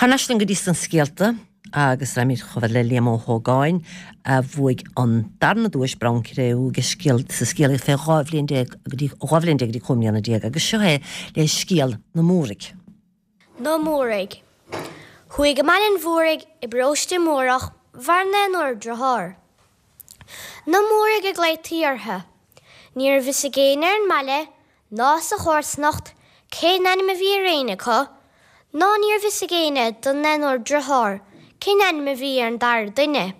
Thar n-ais linn go dtí sna scéalta agus raghaimid chomh fada le Liam Ó hÓgáin a bhuaigh an darna duais Bonn Cré-Umha sa scéalaíocht fé 12 bhliain go dtí 12 bhliain go dtí 15 mbliana agus seo é le scéal na Múraigh. Na Múraigh. Chuaigh go Baile an Mhúraigh i bparóiste Múrach bhar naonúr driotháir. Na Múraigh a glaotaí orthu. Ní raibh fhios ag éinne ar an mbaile ná sa chomharsanacht cén ainm a bhí ar éinne acu, ná ní raibh fhios ag éinne den naonúr driotháir cén ainm a bhí ar an dara duine.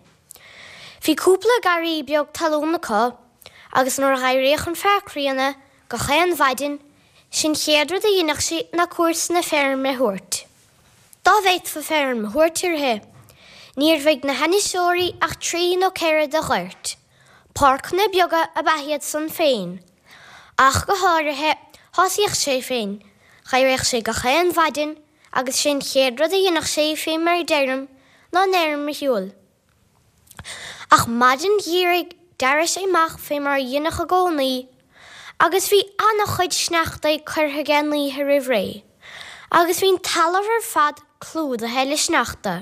Bhí cúpla garraí beag talún acu agus nuair a dh'éiríodh an fear críonna gach aon mhaidin, sé'n chéad rud a dheineadh sé ná cuairt na feirme a thabhairt. Dá bhféadfa feirm a thabhairt uirthi, ní raibh ag na hainniseoirí ach trí nó ceithre de ghoirt. Páirceanna beaga ab ea iad san féin. Ach go háirithe, thosaíodh sé féin, dh'éiríodh sé gach aon mhaidin agus sé'n chéad rud a dheineadh sé fé mar a deirim ná an fheirm a shiúl. Ach maidin gheimhridh d'éirigh sé amach fé mar a dheineadh i gcónaí agus bhí ana-chuid sneachtaidh curtha aige an oíche roimh ré agus bhí an talamh ar fad clúdaithe le sneachta.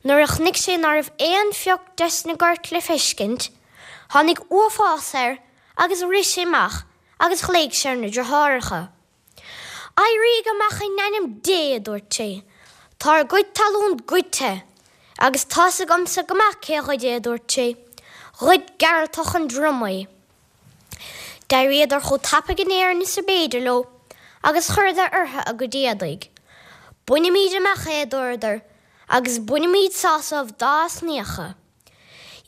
Nuair a chonaic sé ná raibh aon phioc des na goirt le feiscint, tháinig uafás air agus rith sé amach agus ghlaoigh sé ar na driotháireacha. Éirígí amach in ainm Dé, a dúirt sé, tá ár gcuid talún goidte, agus tá's agamsa go maith cé ghoid é, a dúirt sé, ghoid Gearaltach an Droma é. D'éiríodar chomh tapaidh in Éirinn is a b'fhéidir leo agus chuireadar orthu a gcuid éadaigh. Bainfimíd amach é, a dúradar, agus bainfimíd sásamh dá osnaíocha.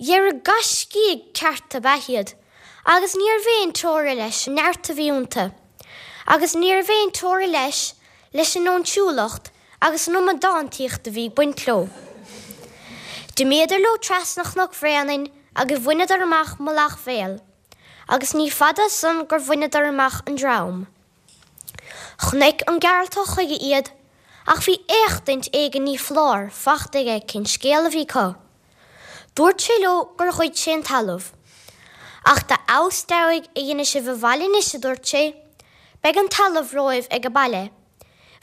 Dhera gaiscígh ceart ab ea iad agus ní raibh aon teora leis an neart a bhí iontu, agus ní raibh aon teora leis leis an óinsiúlacht agus an amadántaíocht a bhí ag baint leo. D'imíodar leo trasna Chnoc Bhréanainn agus bhaineadar amach Mullach Bhéal, agus ní fada ansan gur bhaineadar amach an Drom. Chonaic an Gearaltach chuige iad, ach bhí éachtaint éigin ní foláir fachta aige cén scéal a bhí acu. Dúirt sé leo gur ghoid sé an talamh. Ach dá fheabhas deabhaidh a dhéanfaidh sibh abhaile anois, a dúirt sé, beidh an talamh romhaibh ag an baile.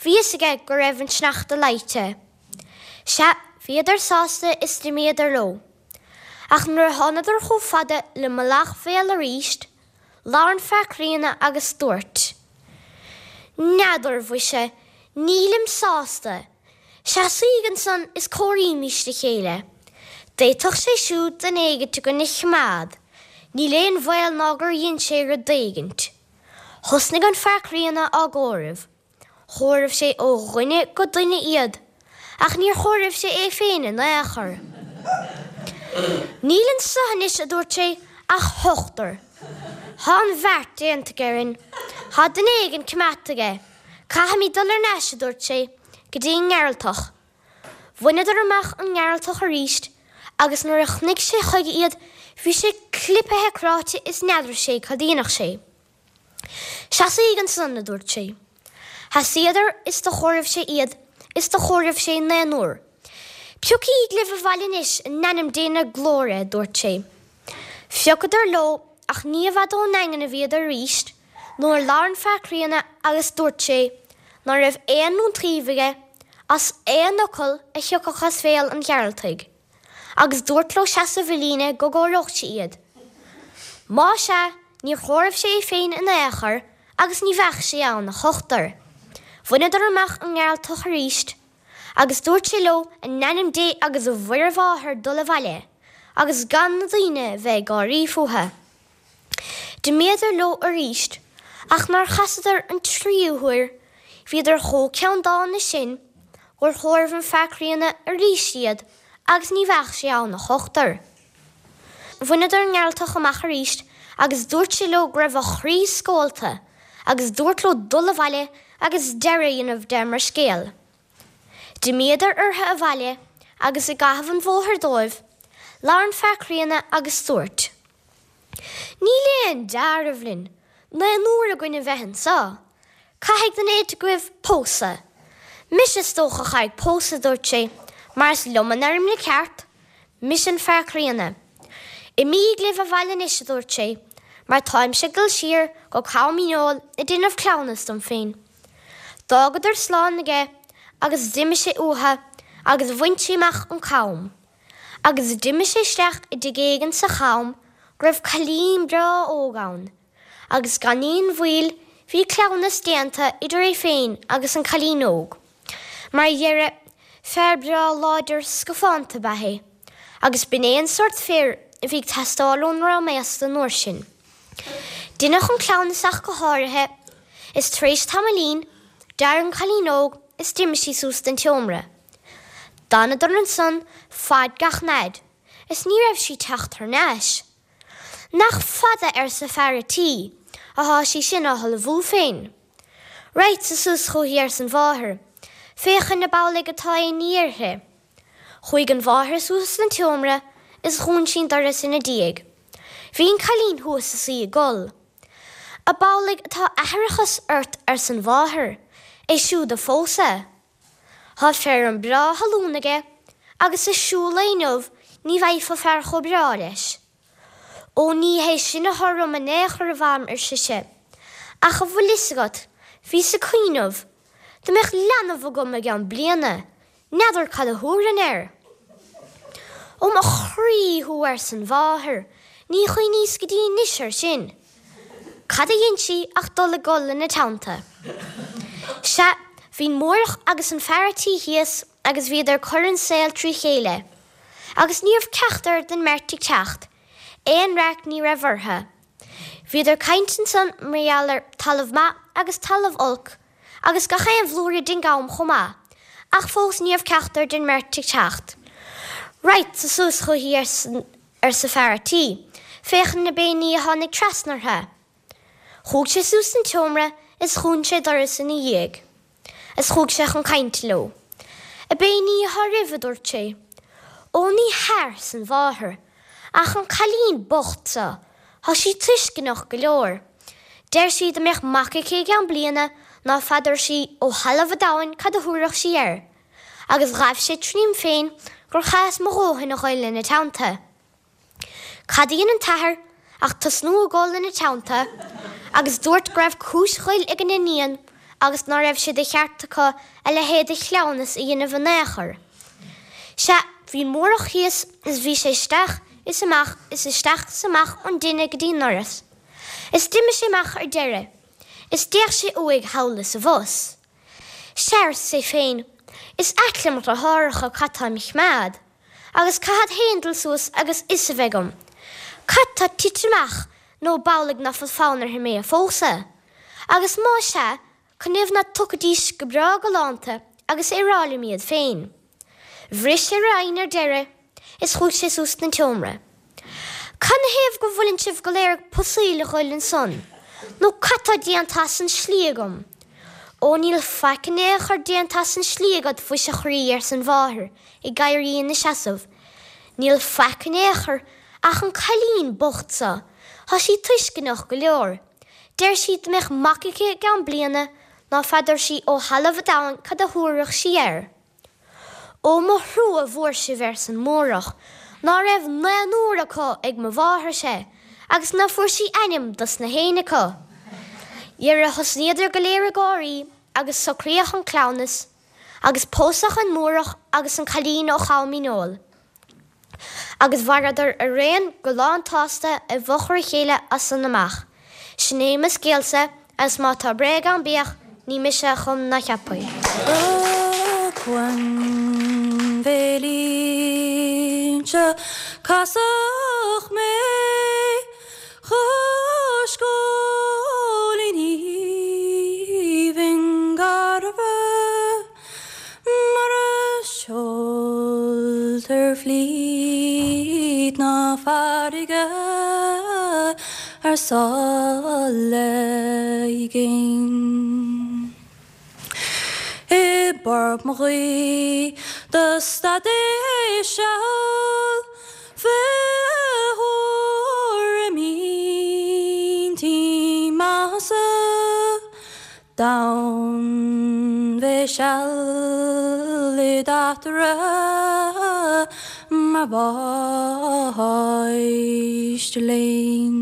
Bhí fhios aige go raibh an sneachta leáite. Sea, bhíodar sásta is d'imíodar leo. Ach nuair a thánadar chomh fada le Mullach Bhéal aríst, labhair an fear críonna agus dúirt, N'fheadar, mhuise, nílim sásta. Seasaíg ansan is comhairímís le chéile. D'fhéadfadh sé siúd duine éigint againn a chimeád, níl aon bhaol ná gur dhein sé rud éigint. Thosnaigh an fear críonna á gcomhaireamh. Chomhaireamh sé ó dhuine go duine iad, ach níor chomhaireamh sé é féin in aon chor. Níl anso anois, a dúirt sé, ach ochtar. Thá an bheart déanta aige orainn. Thá duine éigin coimeádta aige. Caithfimid dul ar n-ais, a dúirt sé, go dtí an nGearaltach. Bhaineadar amach an nGearaltach aríst agus nuair a chonaic sé chuige iad bhí sé clipithe cráite is n'fheadar sé cad a dhéanfadh sé. Seasaíg ansan, a dúirt sé. Sheasaíodar is do chomhaireamh sé iad is do chomhaireamh sé naonúr. Piocaíg libh abhaile anois in ainm Dé na glóire, a dúirt sé. Phiocadar leo ach ní i bhfad ón nDaingean a bhíodar aríst nuair a labhair an fear críonna agus dúirt sé ná raibh aon iontaoibh aige as aon fhocal a thiocfadh as bhéal an Ghearaltaigh, agus dúirt leo seasamh i líne go gcomhaireodh sé iad. Má sea, níor chomhaireamh sé é féin in aon chor agus ní bheadh sé ann ach ochtar. Bhaineadar amach an nGearaltach aríst agus dúirt sé leo in ainm Dé agus a Mhuire Mháthair dul abhaile agus gan na daoine bheith ag gáirí fúthu. D'imíodar leo aríst, ach nuair chasadar an tríú huair, bhíodar chomh ceanndána sin gur chomhaireamh an fear críonna aríst iad agus ní bheadh sé ann ach ochtar. Bhaineadar an nGearaltach amach aríst agus dúirt sé leo go raibh a chroí scólta agus dúirt leo dul abhaile agus deireadh a dhéanamh de mar scéal. D'imíodar orthu abhaile agus i gcaitheamh an bhóthair dóibh, labhair an fear críonna agus dúirt. Níl aon deáramh linn, naonúr againn a bheith anso. Caithfidh duine éigint agaibh pósadh. Mise is dócha a chaithfidh pósadh, a dúirt sé, mar is liom an fheirm le ceart. Mise an fear críonna. Imíg libh abhaile anois, a dúirt sé, mar táimse ag dul siar go Com Dhíneol ag déanamh cleamhnas dom féin. D'fhágadar slán aige. agus d'imigh sé uatha agus bhain sé amach an cam. Agus d'imigh sé isteach i dtigh éigin sa cham go raibh cailín breá óg ann, agus gan aon mhoill bhí cleamhnas déanta idir é féin agus an cailín óg. Mar dheireadh, fear breá láidir scafánta ab ea é, agus b'in é an sórt fir a bhí ag teastáil ón ndream aosta an uair sin. Deineadh an cleamhnas ach go háirithe, is tar éis tamaillín, d'éirigh an cailín óg is d'imigh sí suas don tseomra. D'fhanadar ansan faid gach n-fhaid, is ní raibh sí teacht thar n-ais. Nach fada, arsa fear a' tí, athá sí sin á hullmhú féin. Raghadsa suas chúithi, arsan mháthair, féachaint ab amhlaidh atá aon ní uirthi. Chuaigh an mháthair suas don tseomra is dhún sí an doras ina diaidh. Bhí an cailín thuas is í ag gol. Ab amhlaidh atá aithreachas ort arsan mháthair, é siúd a phósadh. Thá feirm breá thalún aige agus i siúl lae inniu ní bhfaighfeá fear chomh breá leis. Ó ní hé sin athá orm in aon chor a mham ar sise, ach a bhfuil fhios agat, bhíos ag cuimhneamh, dá mbeadh leanbh agam i gceann bliana, N'fheadar cad a thabharfainn air. Ó mo chroí thú arsan mháthair, ní chuimhníos go dtí anois air sin. Cad a dhein sí ach dul ag gol ina teannta. Sea, bhí'n Mórdhach agus an fear a' tí thíos agus bhíodar ag cur an saol trí chéile. Agus ní raibh ceachtar den mbeirt ag teacht, aon raic ní raibh ortha. Bhíodar ag caint ansan mar gheall ar talamh maith agus talamh olc, agus gach aon bhlúire den gcam chomh maith, ach fós ní raibh ceachtar den mbeirt ag teacht. Raghadsa suas chúithi, arsa fear a' tí, féachaint ab aon ní a tháinig trasna orthu. Chuaigh sé suas san tseomra is dhún sé doras ina dhiaidh. Is chuaigh sé chun cainte leo. Ab aon ní athá oraibh, a dúirt sé. Ó ní hea, arsan mháthair, ach an cailín bocht so, thá sí tuisceanach go leor. Deir sí dá mbeadh mac aici i gceann bliana ná feadar sí ó thalamh a' domhain cad a thabharfadh sí air, agus ghaibh sé tríom féin gur chaitheas mo dhóthain a ghoil ina teannta. Cad a dhein an t-athair ach tosnú ag gol ina teannta agus dúirt go raibh cúis ghoil ag an iníon agus ná raibh sé de cheart acu a leithéid de chleamhnas a dhéanamh in aon chor. Sea, bhí an Mórdhach thíos is bhí sé isteach is amach is isteach is amach ón dtine go dtí'n ndoras. Is d'imigh sé amach ar deireadh, is d'fhéach sé uaidh thall is abhus. Sea, arsa é féin, is ait le mo dhriotháracha cad tá im choimeád, agus caithfead féin dul suas agus fhios a bheith agam cad tá tite amach nó ab amhlaidh ná fuil fonn orthu mé a phósadh. Agus má sea, canathaobh ná tiocfaidís go breá galánta agus é a rá liom iad féin. Bhris sé ar a fhoighne ar deireadh is chuaigh sé suas don tseomra. Canathaobh go bhfuileann sibh go léir ag pusaíl a ghoil ansan, nó cad tá déanta as an slí agam? Ó níl faic in aon chor déanta as an slí agat, mhuise a chroí, arsa an mháthair, ag éirí ina seasamh. Níl faic in aon chor ach an cailín bocht so, thá sí tuisceanach go leor. Deir sí dá mbeadh mac aici i gceann bliana ná feadar sí ó thalamh a' domhain cad a thabharfadh sí air. Ó mo thrua mhór sibh arsan Mórdhach, ná raibh naonúr acu ag mo mháthair-se agus ná fuair sí ainm dos na héinne acu. Dhera thosnaíodar go léir ag gáirí agus socraíodh an cleamhnas agus pósadh an Mórdhach agus an cailín ó Cham Fhíneoil. Agus mhaireadar araon go lán tsásta i bhfochair a chéile as san amach. Sin é mo scéalsa, agus má tá bréag ann bíodh, ní mise a chum ná cheap é. Acmhainn bhéil inse casadh mé chois góilín aoibhinn garbh. Mar a seoltar flít na farraige ar sáile i gcéin. I bport mo ghuí do stadais seal fé thuairim intinn maitheasa. D'fhan mé seal i d'eachtra mar mháistir léinn.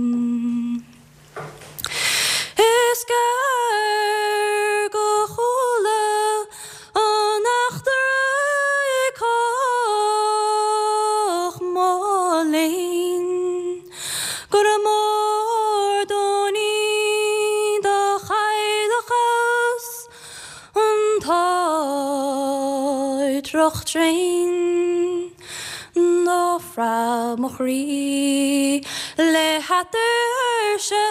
Is gearr go chuala an. Triuch tréan do phreab mo chroí le hatuirse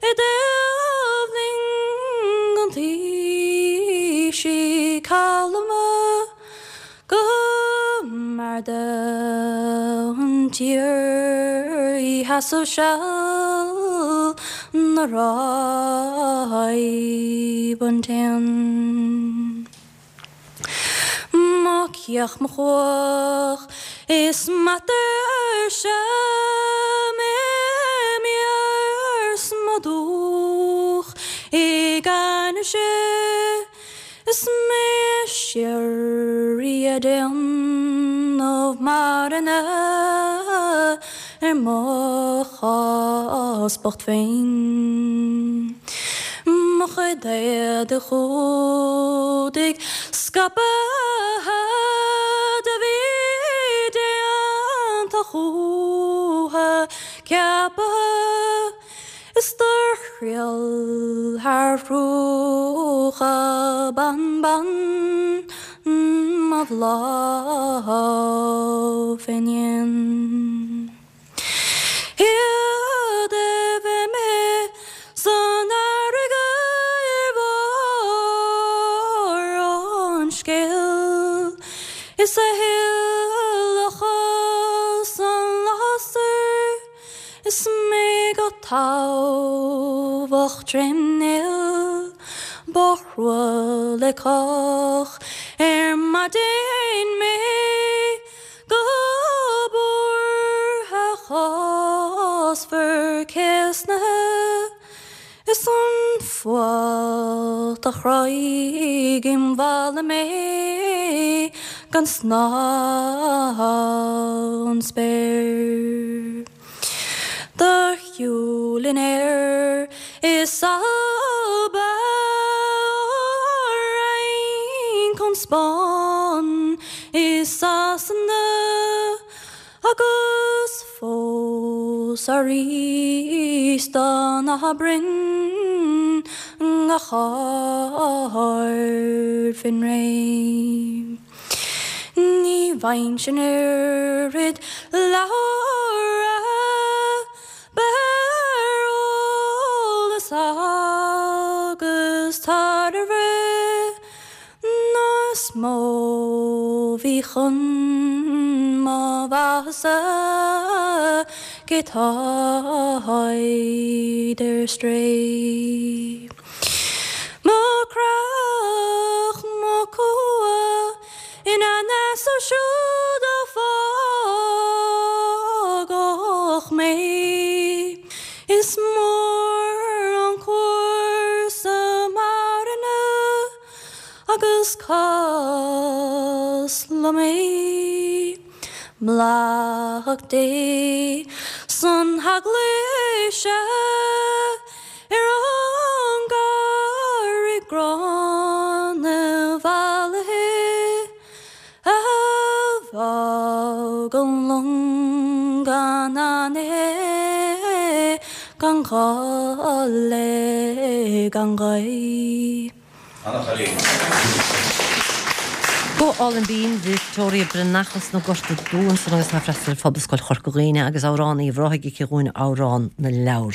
i dtaobh linn an taoisigh calma go mb'fhearr don tír í sheasamh seal 'na raibh an t-éan. Mo chiach mo chuach is m'atuirse m'imir 's mo dhúch ag ainnirse Is mé síoraí ag déanamh marana ar mo chás bocht féin. Mo chuid éadaigh chumhdaigh scaipthe do bhí déanta chúthu ciaptha. Is do thriall thar chruacha banban mo bhláth fén ndíon. Iad a bheith mé san fharraige ar bharr an scéil is a thuilleadh san lasair. Is mé go támhach trém néal, Ba thrua le cách ar maidin mé Go buartha chásmhar céasnaithe Is an fuacht a chráigh im mhala mé gan snáth ón spéir. Do shiúl in aer is ab ea ó Fhrainc, ón Spáinn is Sasana. Agus fós arís do na broinn gach aird fén ré. Ní bhfaighinn sin oiread leabhar beir eolas agus tairbhe Ná is mó bhí chun mo mhaitheasa cé táid ar strae. Mo chreach, mo chumha ina n-easnamh siúd a fágadh mé. Is mór an cúrsa marana Agus cás liom é mallacht Dé 's an hEaglaise ar an gcarraig ghránna mhallaithe a bhfág an long gan aithne gan ghála gan ghaoth. Ana-chailín. Go hálainn binn, Victoria Breathnach as na Gorta Dubha ansan agus tá ag freastal ar Phobalscoil Chorca Dhuibhne agus amhrán Uíbh Ráthaigh aici dhúinn Amhrán na Leabhar.